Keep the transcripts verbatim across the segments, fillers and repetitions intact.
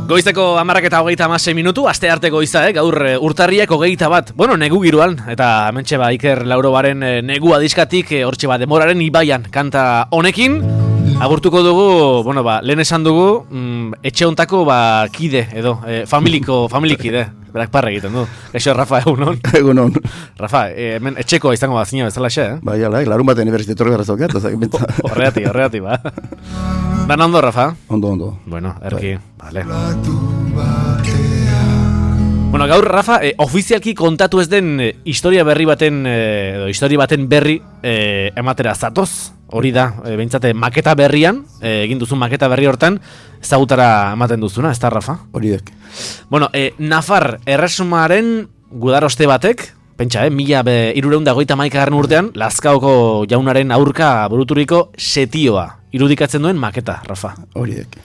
Goizeko hamarrak eta hogeita hamasei minutu, aste arte goiza, eh? Gaur urtarriak hogeita bat, bueno, negu giroan, eta hementxe ba, Iker Laurobaren e, negu adiskatik, e, hortxe ba, Demoraren ibaian kanta honekin, agurtuko dugu, bueno, ba, lehen esan dugu, mm, etxe hontako ba, kide, edo, e, familiko, familikide, berak parra egiten du. Eixo, Rafa, egunon? Egunon. Rafa, e, hemen etxeko izango bat zina bezala xe, eh? Bai, ala, larun baten eberzitorri gara zaukat, horreati, horreati, ba. Dan ondo, Rafa? Ondo, ondo. Bueno, erki, vale. Bueno, gaur, Rafa, eh, ofizialki kontatu ez den eh, historia berri baten, eh, edo historia baten berri eh, ematera zatoz. Hori da, eh, behintzate, maketa berrian, eh, egin duzun maketa berri hortan, ezagutara ematen duzuna, ez da, Rafa? Horiek. Bueno, eh, Nafar erresumaren gudaroste batek, pentsa, eh, mila hiruehun eta hogeita hamaikagarren urtean, Lazkaoko jaunaren aurka buruturiko setioa irudikatzen duen maketa, Rafa. Horiek.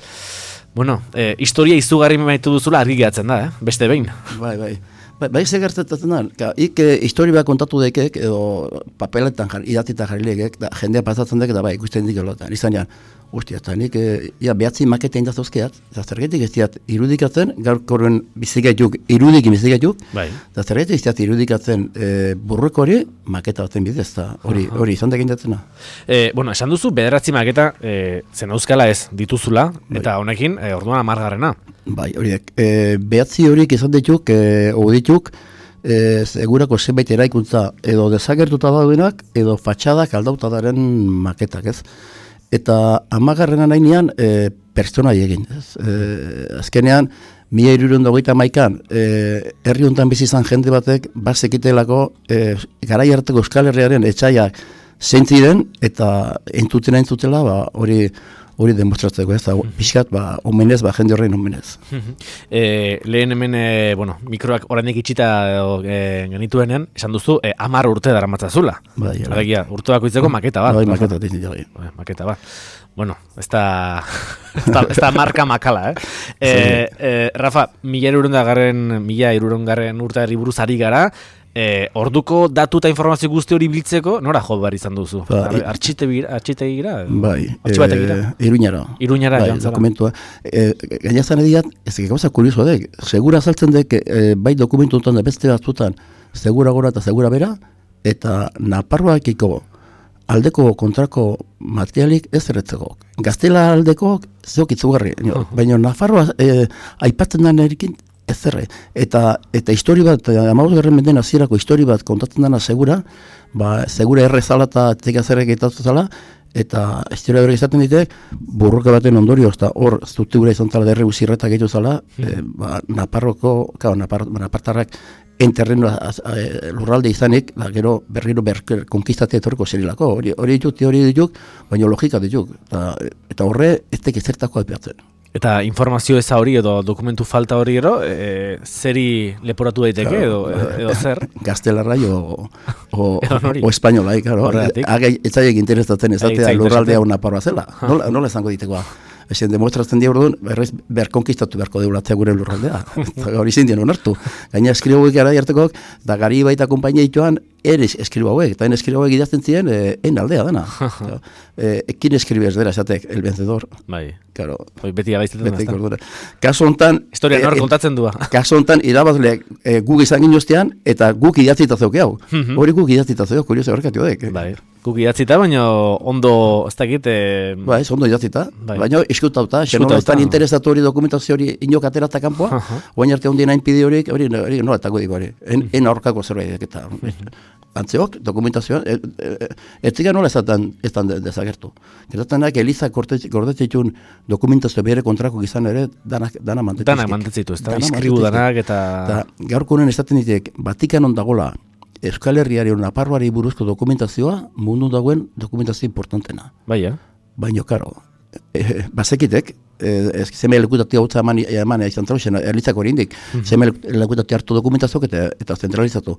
Bueno, eh, historia izugarri maitu duzula argi gehatzen da, eh? Beste behin. Bai, bai. Bai, bai ze gertatzen da, ka, ik eh, historia bat kontatu dekek, edo papeletan jar, idatita jarri legek, da, jendea pasatzen dek, da bai, ikusten dik elotan. Izan jan, ustia, eta nik, eh, ja, behatzi maketa indazozkeat, eta zergetik ez diat irudikatzen, gaur korren bizigaituk, irudikin bizigaituk, bai. Eta zergetik ez diat irudikatzen eh, burruko hori, maketa baten bidez, eta hori, uh-huh. hori izan dekin datzena. Eh, bueno, esan duzu, bederatzi maketa, eh, zen euskala ez dituzula, bai. Eta honekin, eh, orduan amargarrena. Bai, horiek. E, behatzi horiek izan dituk, e, dituk, e, segurako zenbait eraikuntza edo desagertuta daudenak, edo fatxadak aldauta daren maketak, ez? Eta amagarrena nahinean, e, pertsonai egin, ez? E, azkenean, mila hirurehun eta hogeita hamaikan, e, herri hontan bizi izan jende batek, bazekitelako, e, garai harteko Euskal Herriaren etxaiak zeintziren, eta entutena entzutela, ba, hori, hori demostratzeko, ez da, pixkat, ba, omenez, ba, jende horrein omenez. e, lehen hemen, e, bueno, mikroak oraindik itxita e, genituenean, esan duzu, e, amar urte dara matzazula. Bai, Alegia, urte bakoitzeko maketa bat. Bai, maketa, bai. Bai, maketa bat. Bueno, ez da, ez da marka makala, eh? E, e, Rafa, mila hirurehun mila hirurehun urteari buruz ari gara, E, orduko datu eta informazio guzti hori biltzeko, nora jo behar izan duzu? Ba, Artxite gira? Bai, e, Iruñara. Iruñara, bai, dokumentua. E, Gainazan ediat, ez gauza kurioso dek, segura azaltzen dek, e, bai dokumentu da beste batzutan, segura gora eta segura bera, eta Naparroakiko aldeko kontrako materialik ez erretzeko. Gaztela aldeko zeok itzugarri, uh-huh. Baina Nafarroa e, aipatzen den erikin, ez zerre, eta, eta histori bat, hamabosgarren menden hasierako histori bat kontatzen dena segura, ba, segura errezala eta tekazerrek eitatu zala, eta historia berri izaten ditek, burruka baten ondorio, eta hor, zuti gura izan zala derre uzirretak egitu zala, mm. e, ba, Naparroko, kao, Napar, Napartarrak enterreno lurralde izanik, ba, gero berriro berker konkistatea etorriko zerilako, hori hori dituk, hori dituk, baina logika dituk, eta, eta horre, ez teke zertako apiatzen. Eta informazio eza hori edo dokumentu falta hori ero, e, zeri leporatu daiteke edo, edo, edo zer? Gaztelarra o, o, o espainolai, claro. Ez zaiek interesatzen ezatea lurraldea una parroa zela. Nola, nola esango ditekoa? Ezen demostratzen dia orduan, berrez berkonkistatu beharko deulatzea gure lurraldea. Hori zindien onartu. Gaina eskribo hauek gara jartekok, da gari baita kompainia itoan, ere eskribo hauek, eta en eskribo hauek idazten ziren, e, en aldea dana. e, ekin eskribez dira, esatek, el vencedor. Bai. Claro. Beti abaiztetan ez da. Kaso hontan... Historia nor kontatzen dua. Kaso hontan, irabazleak e, guk izan ginoztean, eta guk idatzita zeuke hau. Hori guk idatzita zeuke, kurioso horrekatio dek. Bai. Guk idatzita, baina ondo, ez dakit... E... Ba, ez ondo idatzita. Bai. Baina eskutauta, xenola ez tan interesatu hori dokumentazio hori inok aterata kanpoa, oain arte ondien hain pide horiek, hori nola etako diko hori. En, en aurkako zerbait eta... Antzeok, dokumentazioan, ez e, e, ziga nola ez tan dezagertu. Gertatzen Eliza gordetzitun dokumentazio bere kontrako gizan ere, danak, dana mantetzitu. Danak mantetzitu, ez da, iskribu danak eta... Da, gaurko honen esaten ditek, Vatikan ondagola, Euskal Herriari, Naparroari buruzko dokumentazioa, mundu dagoen dokumentazio importantena. Bai, eh? Baina, karo, e, bazekitek, ez zeme lekutatia hau eman izan trauzen, erlitzako hori indik, zeme lekutatia hartu dokumentazioak eta, eta zentralizatu.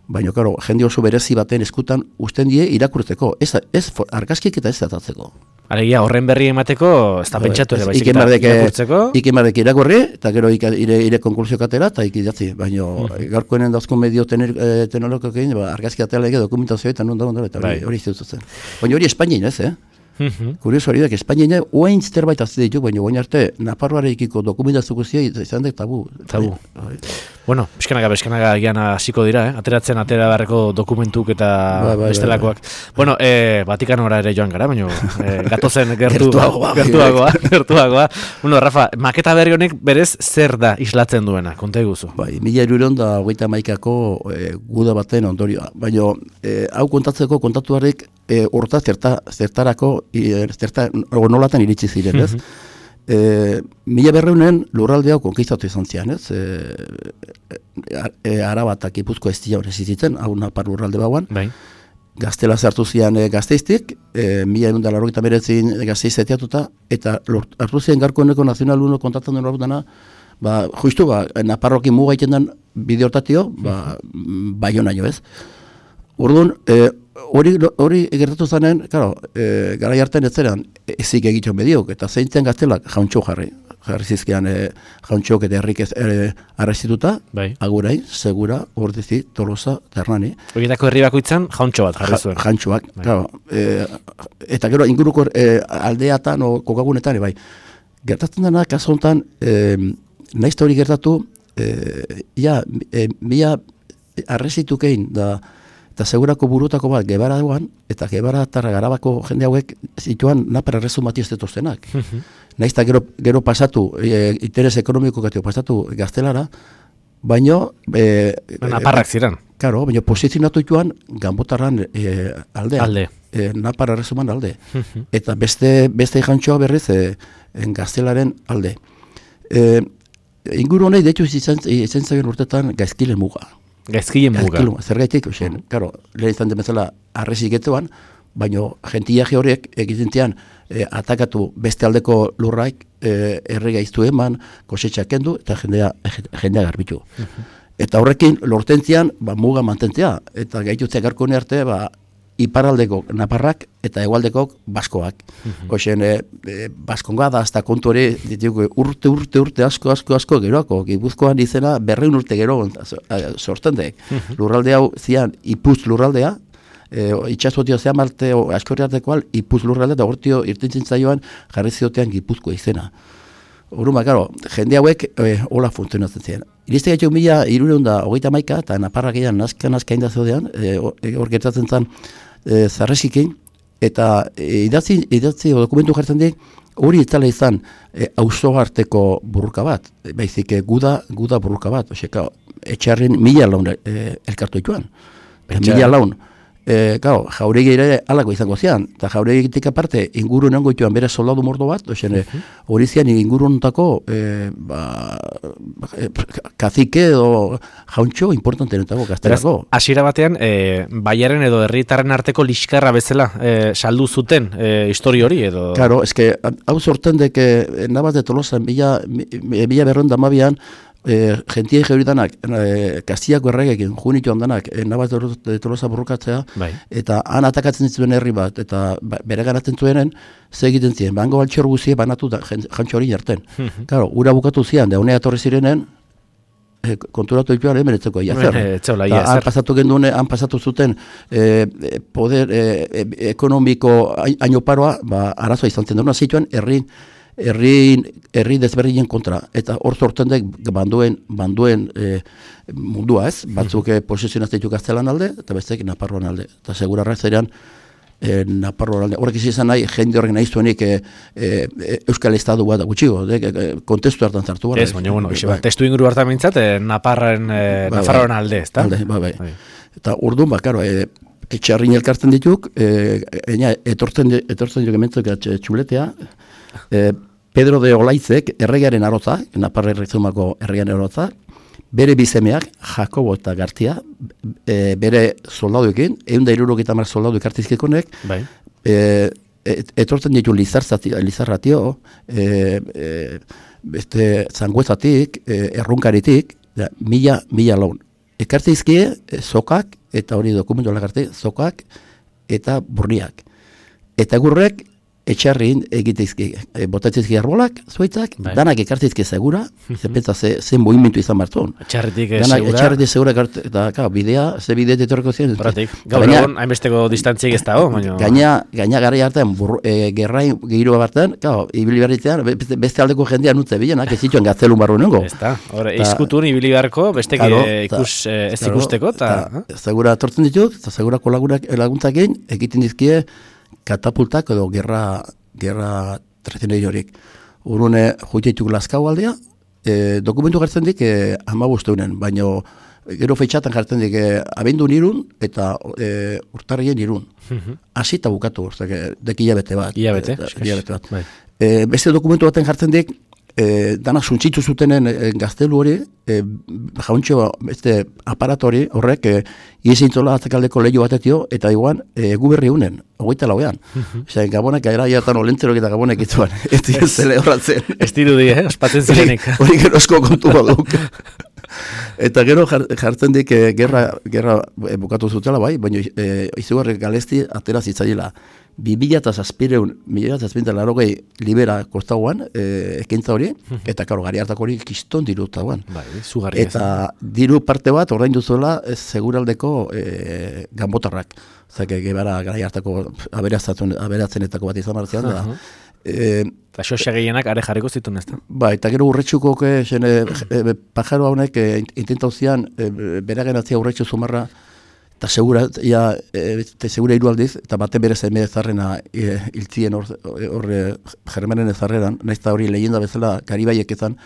Baina, karo, jende oso berezi baten eskutan usten die irakurtzeko, ez, ez argazkik eta ez datatzeko. Alegia, horren berri emateko, ez da pentsatu ere, baizik eta irakurtzeko. Ikemardek irakurri, eta gero ire, ire konklusio katera, eta ikidatzi. Baina, mm. gaurkoenen dauzko medio teknologikoak egin, ba, argazki atela ege dokumentazioa eta non da, eta hori, hori zeutzen. Baina hori Espainien ez, eh? Mhm. Kurioso hori da, Espainian oain zerbait azte ditu, baina oain arte Nafarroarekiko dokumentazio guztia izan dek tabu. Tabu. Bai. Bueno, pixkanaga, pixkanaga gian hasiko dira, eh? Ateratzen atera beharreko dokumentuk eta Bai, bai, bestelakoak. bai, bai. Bueno, eh, Vatikanora ere joan gara, baina eh, gatozen gertu, Gertuagoa, gertuagoa, gertuagoa. Bueno, Rafa, maketa berri honek berez zer da islatzen duena, konta iguzu. Bai, mila hirureun da hogeita hamaikako e, guda baten ondorioa. Baina e, hau kontatzeko kontatuarek e, horta zerta, zertarako e, zerta nolatan iritsi ziren, ez? E, mila berreunen lurralde hau konkistatu izan zian, ez? E, e, Araba eta Gipuzkoa ez dira horrezitzen, hau Napar lurralde bauan. Bai. Gaztela zartu zian e, Gazteiztik, e, mila egun da larrogeita meretzin Gazteiz etiatuta, eta lort, hartu zian garkoeneko nazional uno kontatzen duen horretana, ba, justu, ba, Naparrokin muga egiten den bide hortatio, ba, Baionaino ez. Orduan, e, hori hori gertatu zanen, claro, e, garai hartan ez zeran ezik egiten mediok, eta zeintzen Gaztelak jauntxo jarri. Jarri zizkian e, jauntxok eta herrik ez e, arrezituta, Bai. Agurai, Segura, Ordizi, Tolosa, Ternani. Horietako herri bakoitzan jauntxo bat jarri zuen. Ja, jantxoak, Bai. claro. E, eta gero inguruko e, aldeatan o kokagunetan, bai. Gertatzen dena, kaso honetan, e, nahiz hori gertatu, e, ja, e, mila arrezitukein da, eta segurako burutako bat gebara duan, eta gebara eta garabako jende hauek zituan napara erresumati ez detuztenak. Nahiz eta gero, gero pasatu, e, interes ekonomiko gatio pasatu gaztelara, baino... E, Naparrak ziren. Karo, baina posizionatu joan Ganbotarran e, aldea. Alde. E, Napar erresuman alde. Eta beste beste jantxoa berriz e, en Gaztelaren alde. E, inguru honei deitu izan, izan zagen urtetan gaizkile muga. Gaizkile muga. Gaizkile muga. Zergaitik, osen, karo, lehen izan demezela arrezi getuan, baina gentiaje horiek egiten zian e, atakatu beste aldeko lurraik e, errega iztu eman, kosetxak kendu, eta jendea, jendea garbitu. Eta horrekin lortentzian ba, muga mantentzea, eta gaitutzea garkone arte ba, iparaldeko Naparrak eta hegoaldekok Baskoak. Mm-hmm. Oxen, e, e, Baskonga da, hasta kontu hori, ditugu, urte, urte, urte, asko, asko, asko, geroako, Gipuzkoan izena berreun urte gero sortzen dek. Mm-hmm. Lurralde hau zian, Ipuz lurraldea, e, itxasotio zean marte, askorriartekoal, Ipuz lurraldea, da hortio irtentzen zaioan jarri ziotean Gipuzkoa izena. Horuma, karo, jende hauek e, hola funtzionatzen ziren. Iriste gaitu mila irureun da hogeita maika, eta Naparrak egan nazka nazka inda zeudean, hor e, gertatzen zen e, zarresikin, eta e, idatzi, idatzi o dokumentu jartzen dik, hori itzala izan e, auzo arteko burruka bat, e, baizik e, guda, guda burruka bat, oseka, etxarrin mila laun e, elkartu joan. Mila laun. E, gau, jauregi ere alako izango zian, eta jauregitik aparte inguru nengo joan bere soldadu mordo bat, ozen, hori zian inguru nontako e, ba, e, kazike edo jauntxo importante netago, gazterako. Hasiera batean, e, baiaren edo herritarren arteko liskarra bezala e, saldu zuten e, histori hori edo... Claro, eske, hau sorten deke Navas de Tolosa, mila, mila berron damabian, E, gentie geuridanak, e, Kastiako erregekin, junitu handanak, e, Navas de Tolosa burrukatzea, bai. Eta han atakatzen zuen herri bat, eta ba, bere garatzen zuenen, ze egiten ziren, bango altxor guzie banatu da, jantxo hori jarten. Claro, ura bukatu zian, da honea torri zirenen, e, konturatu dituan emeretzeko, iazer. Han pasatu gendune, han pasatu zuten e, poder e, e, ekonomiko haino paroa, ba, arazoa izan zen duna zituen, herri, herri, herri desberdinen kontra, eta hor sorten dek banduen, banduen e, mundua ez, batzuk e, posizionazte ditu Gaztelan alde, eta bestek Naparroan alde, eta segurarra zerean e, Naparroan alde. Horrek izan nahi, jende horrek nahi zuenik e, e, Euskal Estadu bat gutxigo, de, e, kontestu hartan zartu gara. Ez, baina, bueno, ba, testu inguru hartan mintzat, e, Naparren, e, ba, Nafarroan ba, alde, ez da? Alde, ba, bai. Ba. Eta urduan, ba, karo, e, etxarrin elkartzen dituk, e, ena, etortzen, etortzen dituk ementzuk txuletea, e, Pedro de Olaitzek, erregearen arotza, Naparra errezumako erregearen arotza, bere bizemeak, Jakobo eta Gartia, e, bere soldaduekin, egun da irurogeita mar soldadu kartizkikonek, bai. e, et, etortzen ditu Lizarratio, e, e, beste zanguezatik, e, errunkaritik, da, mila, mila laun. Ekartizkie, e, zokak, eta hori dokumentu alakarte, zokak eta burniak. Eta gurrek, etxarrin egitezki, e, botatzezki arbolak, zuaitzak, Bai. danak ekartzezki segura, ze pentsa ze, ze movimentu izan martun. Etxarretik eh, Danak segura. etxarretik segura, kart- eta ka, bidea, ze bidea detorko ziren. Horretik, gaur Gaina- egon, hainbesteko distantziek ez dago, baina... Gaina, gaina gara hartan, bur, e, gerrain gehirua bartan, kao, ibili berritzean, beste, beste aldeko jendea nutze bilenak, ez zituen gaztelun barru nengo. Ez da, hor, izkutun ibili beharko, bestek Claro, eh, ikus, ta- eh, ez claro, ikusteko, eta... ta- Segura atortzen dituk, eta segura kolagunak laguntzakin, egiten dizkie katapultak edo gerra, gerra tradizionaliorik. Urune juteituk Lazkao aldea, e, dokumentu jartzen dik e, hamabosteunen, baino gero feitxatan jartzen dik e, abendun irun eta e, urtarrien irun. Hasi eta bukatu, ortak, dek hilabete bat. Hilabete, Eta- eskax. hilabete bat. Bai. E, beste dokumentu baten jartzen dik, e, danak suntsitu zutenen e, gaztelu hori, e, jauntxo beste aparatori horrek e, iezintzola atzakaldeko lehiu batetio, eta iguan e, egu berri unen, hogeita lauean. Osea, gabonak gara jatan olentzerok eta gabonek itzuan, ez dira zele horratzen. Ez dirudi, eh, ospatzen zirenik. Hori gerozko kontu baduk. Eta gero jar- jartzen dik e, gerra, gerra e, bukatu zutela bai, baina e, izugarri galesti atera zitzaiela. bi mila eta zazpireun, mila zazpinta larogei libera kostaguan, e, ekintza hori, eta karo, gari hartako hori kiston dirutaguan. Bai, zugarri ez. Eta diru parte bat ordaindu zuela ez seguraldeko e, ganbotarrak. Zake, gebara gara hartako aberatzenetako bat izan martzean, da. Aha. E, Eta xoxa gehienak are jarriko zituen, ez da? Ba, eta gero urretxuko e, e, pajaro haunek e, intentau zian e, beragen atzia urretxu zumarra eta segura, ja, e, te segura hiru aldiz, eta baten bere zeme ezarrena e, iltzien hor, hor e, Germanen ezarreran, nahiz eta hori leyenda bezala Karibaiek ezan,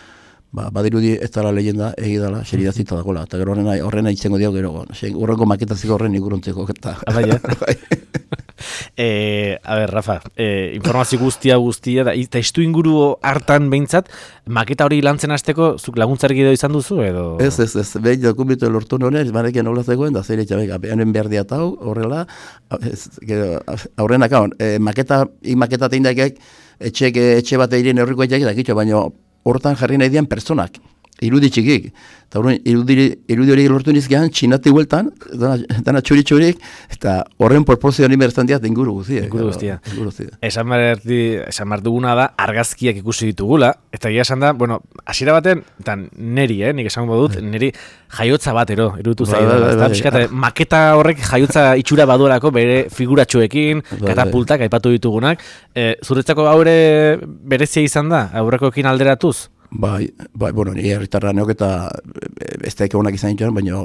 ba, badirudi ez dala leyenda egidala, xeridazita dagoela, eta gero horrena, horrena itzengo diago gero, horrengo maketaziko horren igurontzeko, eta... Abai, Eh, a ber, Rafa, eh, informazio guztia guztia, da, eta istu inguru hartan behintzat, maketa hori lantzen hasteko, zuk laguntzarik edo izan duzu, edo... Ez, ez, ez, behin dokumentu lortu nonen, barekin nola zegoen, da zer itxabek, hemen behar diatau, horrela, ez, gero, aurrenak hau, e, maketa, ik maketa teindakek, etxe, etxe bat egin horriko etxek, da kitxo, baina hortan jarri nahi dian personak, irudi txikik, eta horren irudi, irudi hori lortu nizkean, txinati hueltan, dana, dana txuri txurik, eta horren proportzio honi berztan diat inguru guztia. Inguru guztia. Inguru guztia. Esan behar, esan behar duguna da, argazkiak ikusi ditugula, eta egia esan da, bueno, hasiera baten, eta neri, eh, nik esango dut, neri jaiotza batero, irutu Bai, zaio. bai, bai, Eta bai. pixkat, maketa horrek jaiotza itxura baduelako bere figuratxoekin, Bai, bai. katapultak, aipatu ditugunak. E, zuretzako haure berezia izan da, aurrekoekin alderatuz? Bai, bai, bueno, ni herritarra neok eta ez da onak izan dituen, baina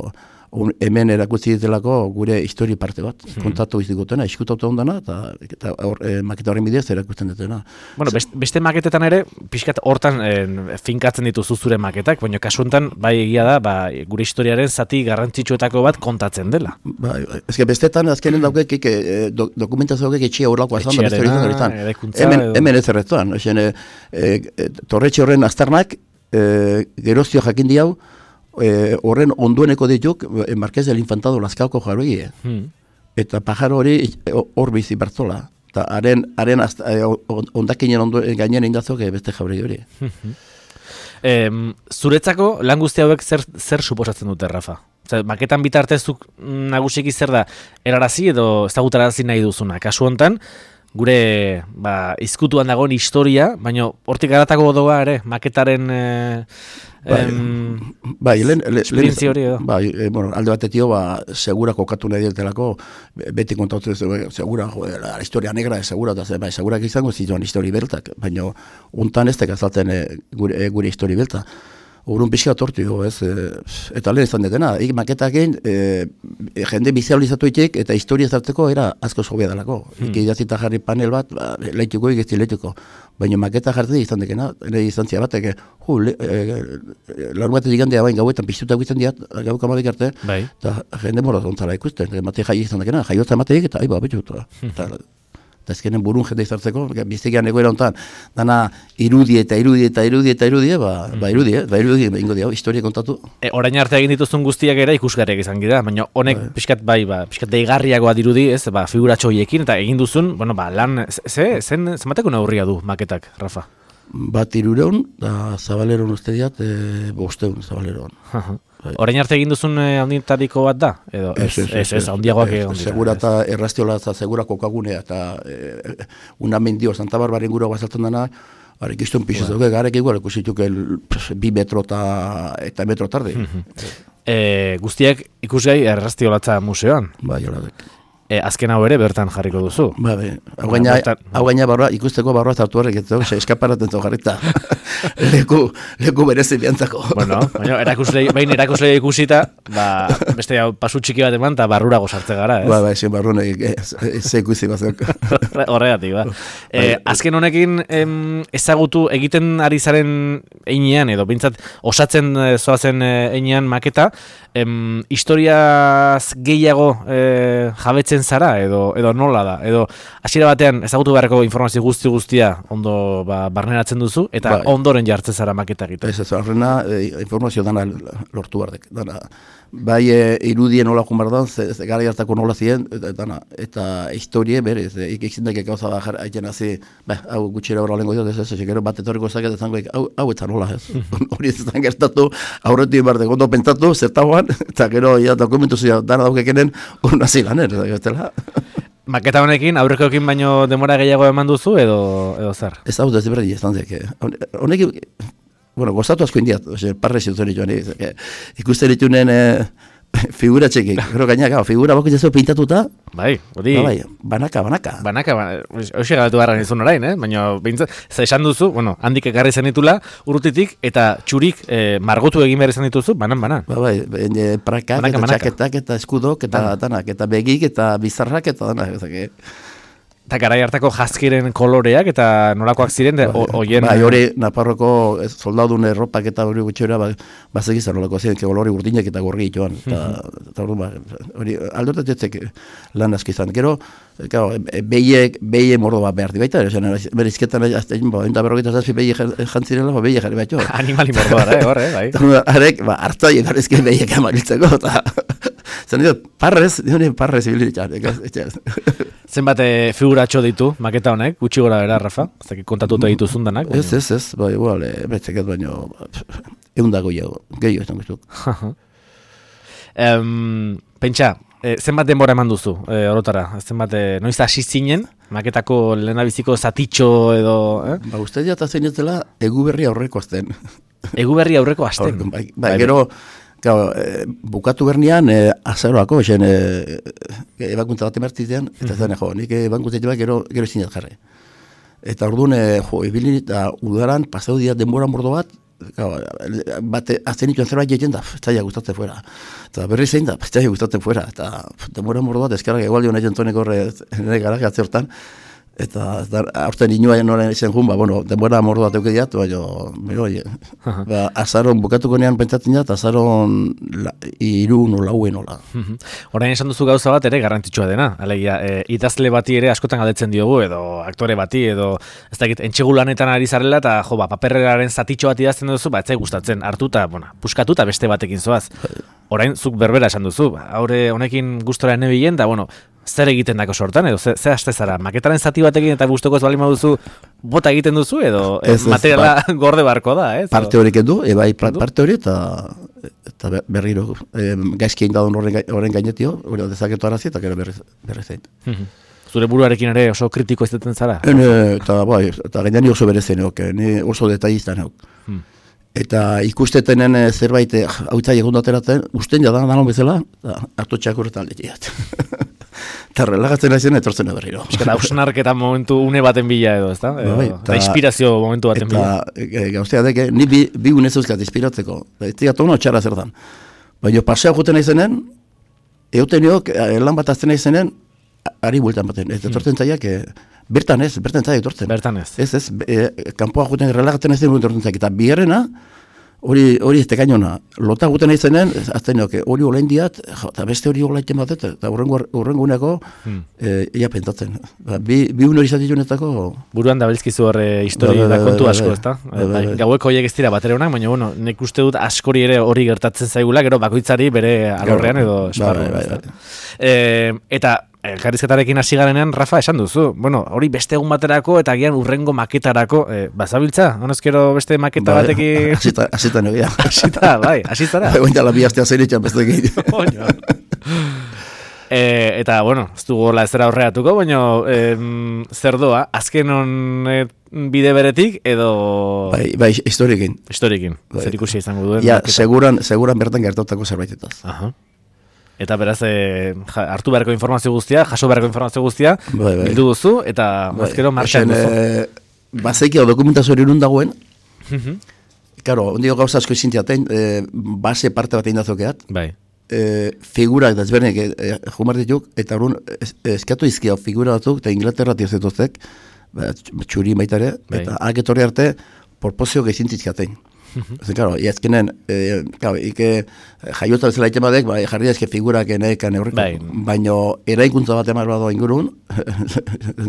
un, hemen erakutsi ditelako gure histori parte bat, kontatu izigutena, iskutatu ondana, eta, eta or, e, maketa horren bidez erakusten dutena. Bueno, best, beste maketetan ere, pixkat hortan eh, finkatzen dituzu zure maketak, baina kasu honetan, bai egia da, ba, gure historiaren zati garrantzitsuetako bat kontatzen dela. Bai, bai. Ezke bestetan azkenen daukekik e, do, dokumentazioak etxia horlakoa zan, da beste Etxearena, hori horretan. eraikuntza Hemen, edo- hemen ez erretuan, esen, e, e, torretxe horren aztarnak, e, geroztio jakin diau, e, horren ondueneko dituk, e, Marqués del Infantado Lazkaoko jaroi, Hmm. eta pajaro hori e, hor bizi bertzola. Eta haren, haren azta, e, on- ondakinen ondo, gainen indazok e, beste jabrei hori. Em, zuretzako lan guzti hauek zer, zer suposatzen dute, Rafa? Zer, maketan bitartezuk nagusiki zer da, erarazi edo ezagutarazi nahi duzuna. Kasu hontan, gure ba, izkutuan dagoen historia, baina hortik garatako doa ere, maketaren eh, Bai, em, bai, lehen, le, esperientzia hori edo. Bai, e, bueno, alde batetio, ba, segura kokatu nahi dietelako, be- beti kontatu ez, segura, joder, la historia negra, segura, eta ze, bai, segurak izango zituan histori beltak, baina untan ez tekazalten e, gure, e, gure histori belta. Urun pixka tortio, ez, e, eta lehen izan detena, ik maketakin, e, e, jende bizializatu itek, eta historia zarteko era asko sobea dalako. Hmm. Ik idazita jarri panel bat, ba, leituko, ikesti leituko. Baina maketa jarri izan dekena, ere izantzia batek, ju, le, e, larun batetik gandea bain gauetan piztuta egiten diat, gau kamabik arte, Bai. eta jende moraz ontzara ikusten, mate jai izan dekena, jaiotza mateik, eta aiba, betxu, eta eta ezkenen burun jende izartzeko, biztegian egoera honetan, dana irudi eta irudi eta irudi eta irudi, ba, ba irudi, ba irudi, ba ingo dio, historia kontatu. E, orain arte egin dituzun guztiak ere ikusgarriak izan gira, baina honek pixkat bai, ba, pixkat deigarriagoa dirudi, ez, ba, figuratxo horiekin, eta egin duzun, bueno, ba, lan, ze, zen, zenbateko neurria du maketak, Rafa? bat irureun, da zabaleron uste diat, e, bosteun zabaleron. Orain arte egin duzun handientariko bat da? Edo, ez, ez, ez, handiagoak egon dira. Segura eta errastiola eta segura kokagunea, eta e, una mendio, Santa Barbaren gura bazaltzen dena, harek iztun pixez dugu, garek igual, ikusituk bi metro eta metro tarde. e, guztiak ikusgai errastiolatza museoan? Bai, hola dek. E, azken hau ere bertan jarriko duzu. Ba, be, hau gaina, hau gaina barroa, ikusteko barroa zartu horrek, ez dugu, eskaparaten zu jarrita. leku, leku berezi biantzako. Bueno, baina erakuslei, behin erakuslei ikusita, ba, beste hau pasu txiki bat eman, eta barrurago sartze gara, ez? Ba, ba, ezin barruan ze ikusi bazak. Horregatik, ba. E, azken honekin em, ezagutu egiten ari zaren einean, edo bintzat osatzen zoazen einean maketa, em, historiaz gehiago e, jabetzen zara, edo, edo nola da, edo hasiera batean ezagutu beharreko informazio guzti guztia ondo ba, barneratzen duzu, eta bai. Ondoren jartzen zara maketa egiten. Ez ez, arrena e, informazio dana lortu bardek, dana. Bai e, irudien nola jun bardan, ze, ze gara jartako nola ziren, eta, dana, eta historie berez, e, ikizindek gauza da haiten hazi, ba, hau gutxera horra lengo diot, ez ez, ez, bat etorriko zaket, ezango, hau, hau eta nola, ez. Hori ez ezan gertatu, aurretik bardek, ondo pentsatu, zertagoan, eta gero, ja, dokumentu zia, dana daukekenen, hori nazi lanen, ez. Maketa honekin, aurrekoekin baino demora gehiago eman duzu, edo, edo zer? Ez hau da, ez berdi, ez dantzek. Honekin, bueno, gozatu asko indiat, parre ziutzen joan, ikusten ditunen eh, figura txekik. Gero gaina, gau, figura bako jazu pintatuta. Bai, hori. Ba, bai, banaka, banaka. Banaka, hoxe galatu garran izun orain, eh? Baina, bintzat, za esan duzu, bueno, handik ekarri zen ditula, urrutitik, eta txurik eh, margotu egin behar izan dituzu, banan, banan. Ba, bai, e, prakak, banaka, eta banaka. Txaketak, eta eskudok, eta Bana. Danak, eta begik, eta bizarrak, eta danak, ezak, eta garai hartako jazkiren koloreak eta nolakoak ziren hoien... Bai, hori Nafarroko soldadun erropak eta hori gutxera bazegizan nolako ziren, kolore urdinak eta gorri joan. Eta hori aldortatetzek lan aski izan. Gero, behiek, behiek mordo bat behar di baita, bere izketan enta berrogeita zazpi behiek jantzirela, behiek jarri baitxo. Animali mordo gara, horre, bai. Harek, hartzai egarrizke behiek amaritzeko, eta... Zer nire, parrez, nire parrez ibiliritxan. Zenbat figuratxo ditu, maketa honek, gutxi gora bera, Rafa? Zaki kontatuta ditu zundanak? Ez, ez, ez, bai, igual, betzeket baino, egun dago gehiago, gehiago ez dut. Um, pentsa, e, zenbat denbora eman duzu, e, orotara? Zenbat, e, noiz hasi zinen, maketako lehenabiziko zatitxo edo... Eh? Ba, uste diat azen ez dela, egu berri aurreko azten. Egu berri aurreko azten? Bai, bai, gero... Gau, e, bukatu bernian, e, azaroako, esen, e, e, ebakuntza bat emartitean, eta mm-hmm. zen, jo, nik ebakuntza bat gero, gero ezinat jarri. Eta orduan, e, jo, ebilin eta udaran, pasau dia denbora mordo bat, gau, bate, azten ituen zerbait egiten da, zaila gustatzen fuera. Eta berri zein da, zaila gustatzen fuera. Eta denbora mordo bat, ezkarrak egualdi honetan tonek horre, nire garak atze hortan, eta aurten inoaien noren izan jun, ba, bueno, denbora mordo bat euke diat, baina, mero, uh-huh. ba, azaron bukatuko nean pentsatzen diat, azaron iru nola, ue nola. Uh-huh. Orain esan duzu gauza bat ere garrantzitsua dena, alegia, e, idazle bati ere askotan galdetzen diogu, edo aktore bati, edo, ez dakit, entxegulanetan ari zarela, eta, jo, ba, paperreraren zatitxo bat idazten duzu, ba, etzai gustatzen, hartuta, bueno, puskatuta beste batekin zoaz. Orain, zuk berbera esan duzu, ba, haure honekin gustora nebilen, da, bueno, zer egiten dako sortan, edo ze, ze haste zara? Maketaren zati batekin eta guztoko ez bali duzu bota egiten duzu, edo ez, ez, materiala ba, gorde barko da, ez? Parte horiek edu, ebai parte hori eta, eta berriro, e, gaizki egin dadun horren gainetio, hori dezaketu arazi eta gero berri, berri zein. Zure buruarekin ere oso kritiko izaten zara? Ene, eta bai, eta gainean oso berezen eok, ni oso detailiztan eok. Hmm. Eta ikustetenen zerbait hau itzai egun dateratzen, usten jadan danon bezala, hartu txakurretan lehiat. Eta relagatzen aizen etortzen berriro. Eta hausnarketa momentu une baten bila edo, ez da? Eta inspirazio momentu baten bila. Eta gauztea deke, ni bi, bi unez euskat inspiratzeko. Ez digat ono txarra zertan. Baina pasea juten aizenen, euten niok, lan bat azten aizenen, ari bultan baten. Ez etortzen zaiak, bertan ez, bertan zaiak etortzen. Bertan ez. Ez ez, kanpoa juten relagatzen aizen etortzen zaiak. Eta biherrena, hori hori ez tekainona, lota guten aizenen, azten nioke, hori olain diat, eta beste hori olaiten bat, eta urrengo uneko, hmm. e, ia pentatzen. Ba, bi, bi un hori zatitxunetako... Buruan da belzkizu horre histori da, da, da kontu asko, ez da? Gaueko horiek ez dira batera honak, baina, bueno, nek uste dut askori ere hori gertatzen zaigula, gero bakoitzari bere alorrean edo esparru. Ba, ba, ba, ba. E, eta elkarrizketarekin hasi garenean, Rafa, esan duzu. Bueno, hori beste egun baterako eta agian urrengo maketarako, eh, bazabiltza? Honezkero beste maketa Ba, batekin... Asita, asita negia. Asita, bai, asitara. Bai, oin dala bi astea zeiretxan beste gehi. E, eta, bueno, ez dugu gola ez dara horreatuko, baina em, zer doa, azken hon e, bide beretik edo... Bai, bai, historiekin. Historiekin, Bai. zer ikusi izango duen. Ja, maketa. seguran, seguran bertan gertatako zerbaitetaz. Aha. Eta beraz, e, ja, hartu beharko informazio guztia, jaso beharko informazio guztia, Bai, bai. bildu duzu, eta Bai, mazkero martxan esen, duzu. eh, Bazeikio dokumentazio hori nun dagoen, Mhm. karo, ondio gauza asko izintiaten, eh, base parte bat egin dazokeat, Bai. eh, figurak desbernek eh, jumar dituk, eta orduan es, eskatu izkia figura batzuk, eta Inglaterra tirzetozek, ba, txuri baitare, Bai. eta aketorri arte, porpozio gehizintzitkaten. Ez, claro, y azkenen, eh, claro, ike jaiota bezala iten badek, bai, jarri ezke figurak enekan eurreko, Bai. baino eraikuntza bat emar bado ingurun,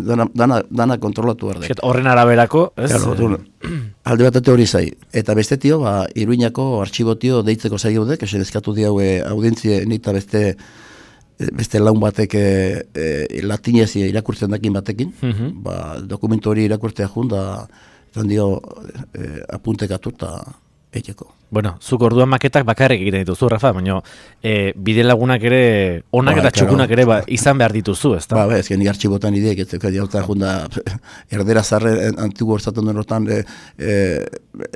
dana, dana, dana kontrolatu behar dek. Esket, horren araberako, ez? Claro, orduan, alde batate hori zai. Eta beste tio, ba, Iruñako artxibotio deitzeko zai gaudek, esen eskatu diaue audientzie nita beste beste laun batek e, e, latinez irakurtzen dakin batekin, Mhm. ba, dokumentu hori irakurtzea jun, da, eta dio e, apuntekatu eta eiteko. Bueno, zuk orduan maketak bakarrik egiten dituzu, Rafa, baina e, bide lagunak ere, onak Ba, eta claro. txukunak ere ba, izan behar dituzu, ez da? Ba, ba, ezken artxibotan ideek, ez zeukat jauta junda, erdera zarre antigu horzaten duen hortan, e, e,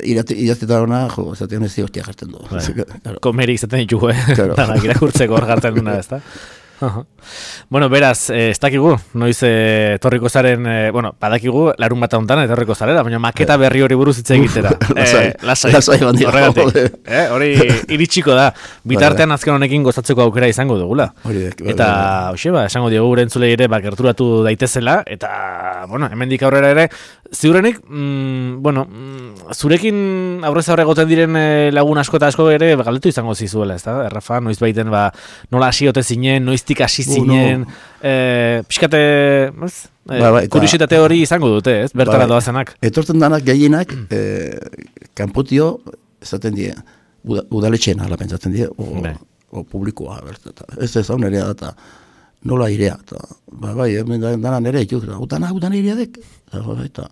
irazteta hona, jo, zatean ez hostia jartzen du. Bai. Claro. Komeri izaten ditugu, eh? Claro. Danak irakurtzeko hor jartzen duna, ez da? Aha. Bueno, beraz, eh, ez dakigu, noiz eh, etorriko zaren, eh, bueno, badakigu, larun bat hontan etorriko zarela, baina maketa berri hori buruz hitz egitera. Lasai, eh, lasai, lasai bandia, horregatik. jode. Eh, hori iritsiko da, bitartean azken honekin gozatzeko aukera izango dugula. Hori dek, bai, Eta, bai, hoxe, ba, esango diogu gure entzulei ere, ba, gerturatu daitezela, eta, bueno, hemendik aurrera ere, ziurrenik, mm, bueno, mm, zurekin aurrez aurre goten diren eh, lagun asko eta asko ere, ba, galdetu izango zizuela, ez da, Rafa, noiz baiten, ba, nola hasi ote zinen, noiztik hasi Uh, zinen, no. eh, pixkate, ez? Eh, Ba, ba, eta- kuriositate hori izango dute, ez? Bertara Bai. doazenak. Etortzen danak gehienak, eh, kanpotio, esaten die, uda, udaletxena, ala pentsatzen die, o, Bai. o publikoa, bertata. Ez ez hau nerea da, eta nola irea, eta, ba, bai, hemen da- dana nere, ituk, utana, utana irea dek, eta, ba, eta,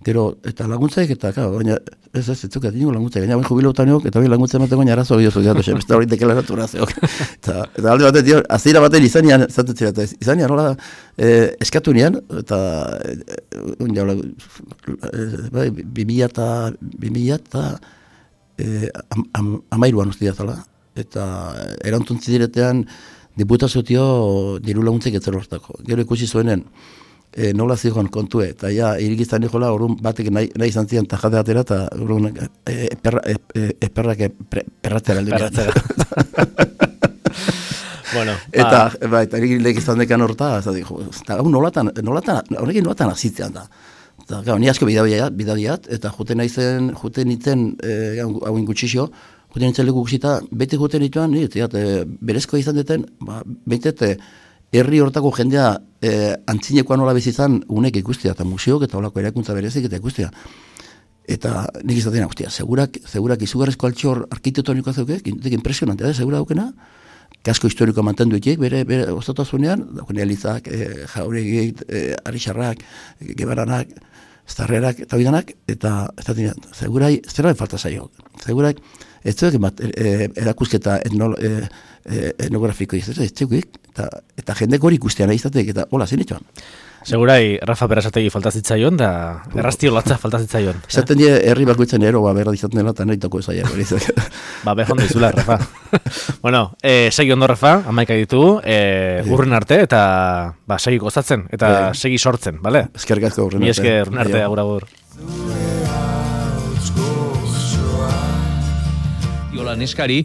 gero, eta laguntzaik, eta, claro, baina, ez ez, ez zukat, ingo laguntzaik, baina, bain jubilotaneok, eta bain laguntza ematen baina arazo biozu, eta, beste hori dekelaratu razeok. Eta, eta alde batean, dio, azira batean izanian, zaten zira, eta izanian, nola, eh, eskatu nian, eta, eh, un jaula, eh, bai, bimila eta, bimila eta, eh, am, am, amairuan uste zala, eta erantuntzi diretean, diputazio diru laguntzek etzero hortako. Gero ikusi zuenen, e, nola zigoan kontue, eta ja, irigiztan jola, orrun batek nahi, nahi izan zian tajade atera, eta orrun e, eperra, e, e, eperrak e, pre, perratzera alde. Perratzera. Bueno, Eta, ba, ba, eta irigilek izan dekan horta, eta dijo, eta hau nolatan, nolatan, honekin nolatan azitzean da. Eta, gau, ni asko bidadiat, bidadiat, eta juten naizen, juten nintzen, e, hau ingutxixo, juten nintzen leku guzita, bete juten nituan, ni, eta e, berezkoa izan deten, ba, beitet, herri hortako jendea e, antzinekoa nola bezizan unek ikustea, eta museok eta olako erakuntza berezik eta ikustea. Eta nik izaten, hostia, segurak, segurak izugarrezko altxor arkitektonikoa zeukek, impresionantea da, segura daukena, kasko historikoa mantendu itiek, bere, bere ostotasunean, daukene elizak, e, jauregik, e, arixarrak, e, gebaranak, zarrerak, eta bidanak, eta ez da dinan, segurai, zera falta zaio, segurai, ez zuek bat, e, erakusketa etnolo, e, e, etnografiko ez ez zuek, eta, eta jendek hori ikustean izatek, eta hola, zen itxoan. segurai Rafa Berasategi faltazitzaion, da erraztio latza faltazitzaion. Esaten die, herri bakoitzen ero, ba, berra izaten dela, eta nahi toko ezaiak. Ba, behon dizula, Rafa. Bueno, eh, segi ondo, Rafa, amaika ditugu, eh, urren arte, eta ba, segi gozatzen, eta Bai. segi sortzen, bale? Eskerrik asko urren Mi arte. esker, urren arte, Aio. agur, agur. Iola neskari